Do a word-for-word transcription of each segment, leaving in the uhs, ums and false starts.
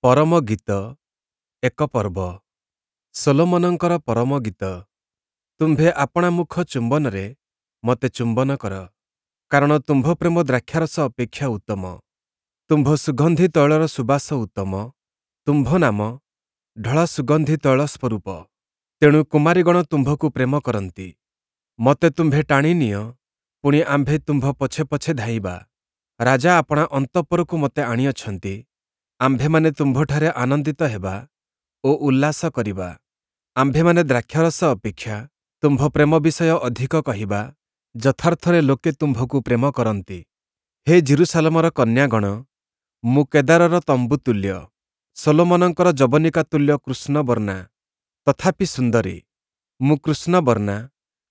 ପରମଗୀତ ଏକ ପର୍ବ। ଶଲୋମନଙ୍କର ପରମଗୀତ। ତୁମ୍ଭେ ଆପଣା ମୁଖ ଚୁମ୍ବନରେ ମୋତେ ଚୁମ୍ବନ କର, କାରଣ ତୁମ୍ଭ ପ୍ରେମ ଦ୍ରାକ୍ଷାରସ ଅପେକ୍ଷା ଉତ୍ତମ। ତୁମ୍ଭ ସୁଗନ୍ଧି ତୈଳର ସୁବାସ ଉତ୍ତମ, ତୁମ୍ଭ ନାମ ଢଳା ସୁଗନ୍ଧି ତୈଳ ସ୍ୱରୂପ। ତେଣୁ କୁମାରୀଗଣ ତୁମ୍ଭକୁ ପ୍ରେମ କରନ୍ତି। ମୋତେ ତୁମ୍ଭେ ଟାଣି ନିଅ, ପୁଣି ଆମ୍ଭେ ତୁମ୍ଭ ପଛେ ପଛେ ଧାଇଁବା। ରାଜା ଆପଣା ଅନ୍ତଃପୁରକୁ ମୋତେ ଆଣିଅଛନ୍ତି, ଆମ୍ଭେମାନେ ତୁମ୍ଭଠାରେ ଆନନ୍ଦିତ ହେବା ଓ ଉଲ୍ଲାସ କରିବା। ଆମ୍ଭେମାନେ ଦ୍ରାକ୍ଷାରସ ଅପେକ୍ଷା ତୁମ୍ଭ ପ୍ରେମ ବିଷୟ ଅଧିକ କହିବା, ଯଥାର୍ଥରେ ଲୋକେ ତୁମ୍ଭକୁ ପ୍ରେମ କରନ୍ତି। ହେ ଯିରୂଶାଲମର କନ୍ୟାଗଣ, ମୁଁ କେଦାରର ତମ୍ବୁ ତୁଲ୍ୟ, ଶଲୋମନଙ୍କର ଯବନିକା ତୁଲ୍ୟ କୃଷ୍ଣବର୍ଣ୍ଣା, ତଥାପି ସୁନ୍ଦରୀ। ମୁଁ କୃଷ୍ଣବର୍ଣ୍ଣା,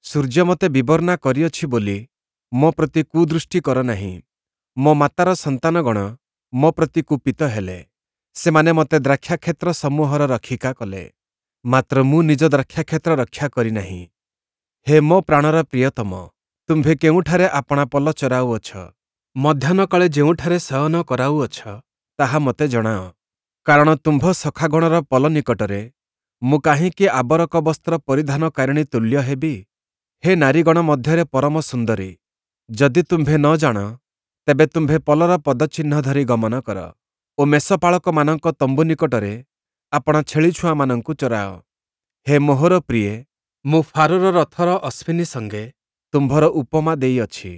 ସୂର୍ଯ୍ୟ ମୋତେ ବିବର୍ଣ୍ଣା କରିଅଛି ବୋଲି ମୋ ପ୍ରତି କୁଦୃଷ୍ଟି କର ନାହିଁ। ମୋ ମାତାର ସନ୍ତାନଗଣ ମୋ ପ୍ରତି କୁପିତ ହେଲେ, ସେମାନେ ମୋତେ ଦ୍ରାକ୍ଷାକ୍ଷେତ୍ର ସମୂହର ରକ୍ଷିକା କଲେ, ମାତ୍ର ମୁଁ ନିଜ ଦ୍ରାକ୍ଷାକ୍ଷେତ୍ର ରକ୍ଷା କରି ନାହିଁ। ହେ ମୋ ପ୍ରାଣର ପ୍ରିୟତମ, ତୁମ୍ଭେ କେଉଁଠାରେ ଆପଣା ପଲ ଚରାଉଅଛ? ମଧ୍ୟାହ୍ନକାଳେ ଯେଉଁଠାରେ ଶୟନ କରାଉଅଛ, ତାହା ମୋତେ ଜଣାଅ। କାରଣ ତୁମ୍ଭ ସଖାଗଣର ପଲ ନିକଟରେ ମୁଁ କାହିଁକି ଆବରକ ବସ୍ତ୍ର ପରିଧାନକାରିଣୀ ତୁଲ୍ୟ ହେବି? ହେ ନାରୀଗଣ ମଧ୍ୟରେ ପରମ ସୁନ୍ଦରୀ, ଯଦି ତୁମ୍ଭେ ନ ଜାଣ, ତେବେ ତୁମ୍ଭେ ପଲର ପଦଚିହ୍ନ ଧରି ଗମନ କର ଓ ମେଷପାଳକମାନଙ୍କ ତମ୍ବୁ ନିକଟରେ ଆପଣା ଛେଳିଛୁଆମାନଙ୍କୁ ଚରାଅ। ହେ ମୋହର ପ୍ରିୟେ, ମୁଁ ଫାରୋର ରଥର ଅଶ୍ୱିନୀ ସଙ୍ଗେ ତୁମ୍ଭର ଉପମା ଦେଇଅଛି।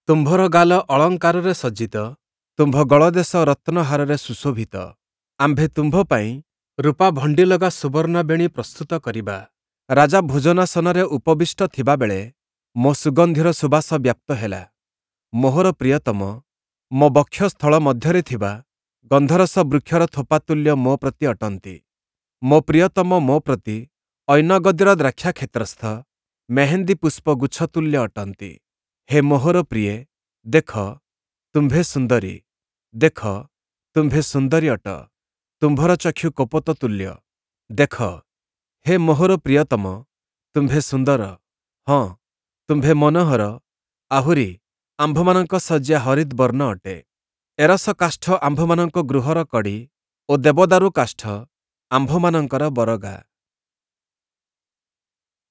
ତୁମ୍ଭର ଗାଲ ଅଳଙ୍କାରରେ ସଜ୍ଜିତ, ତୁମ୍ଭ ଗଳଦେଶ ରତ୍ନହାରରେ ସୁଶୋଭିତ। ଆମ୍ଭେ ତୁମ୍ଭ ପାଇଁ ରୂପା ଭଣ୍ଡିଲଗା ସୁବର୍ଣ୍ଣ ବେଣୀ ପ୍ରସ୍ତୁତ କରିବା। ରାଜା ଭୋଜନାସନରେ ଉପବିଷ୍ଟ ଥିବାବେଳେ ମୋ ସୁଗନ୍ଧିର ସୁବାସ ବ୍ୟାପ୍ତ ହେଲା। ମୋହର ପ୍ରିୟତମ ମୋ ବକ୍ଷସ୍ଥଳ ମଧ୍ୟରେ ଥିବା ଗନ୍ଧରସ ବୃକ୍ଷର ଥୋପା ତୁଲ୍ୟ ମୋ ପ୍ରତି ଅଟନ୍ତି। ମୋ ପ୍ରିୟତମ ମୋ ପ୍ରତି ଐନଗଦୀର ଦ୍ରାକ୍ଷାକ୍ଷେତ୍ରସ୍ଥ ମେହେନ୍ଦୀ ପୁଷ୍ପ ଗୁଚ୍ଛ ତୁଲ୍ୟ ଅଟନ୍ତି। ହେ ମୋହର ପ୍ରିୟେ, ଦେଖ, ତୁମ୍ଭେ ସୁନ୍ଦରୀ, ଦେଖ, ତୁମ୍ଭେ ସୁନ୍ଦରୀ ଅଟ, ତୁମ୍ଭର ଚକ୍ଷୁ କପୋତ ତୁଲ୍ୟ। ଦେଖ, ହେ ମୋହର ପ୍ରିୟତମ, ତୁମ୍ଭେ ସୁନ୍ଦର, ହଁ, ତୁମ୍ଭେ ମନୋହର, ଆହୁରି ଆମ୍ଭମାନଙ୍କ ଶଯ୍ୟା ହରିଦ୍‌ବର୍ଣ୍ଣ ଅଟେ। ଏରସ କାଷ୍ଠ ଆମ୍ଭମାନଙ୍କ ଗୃହର କଡ଼ି ଓ ଦେବଦାରୁ କାଷ୍ଠ ଆମ୍ଭମାନଙ୍କର ବରଗା।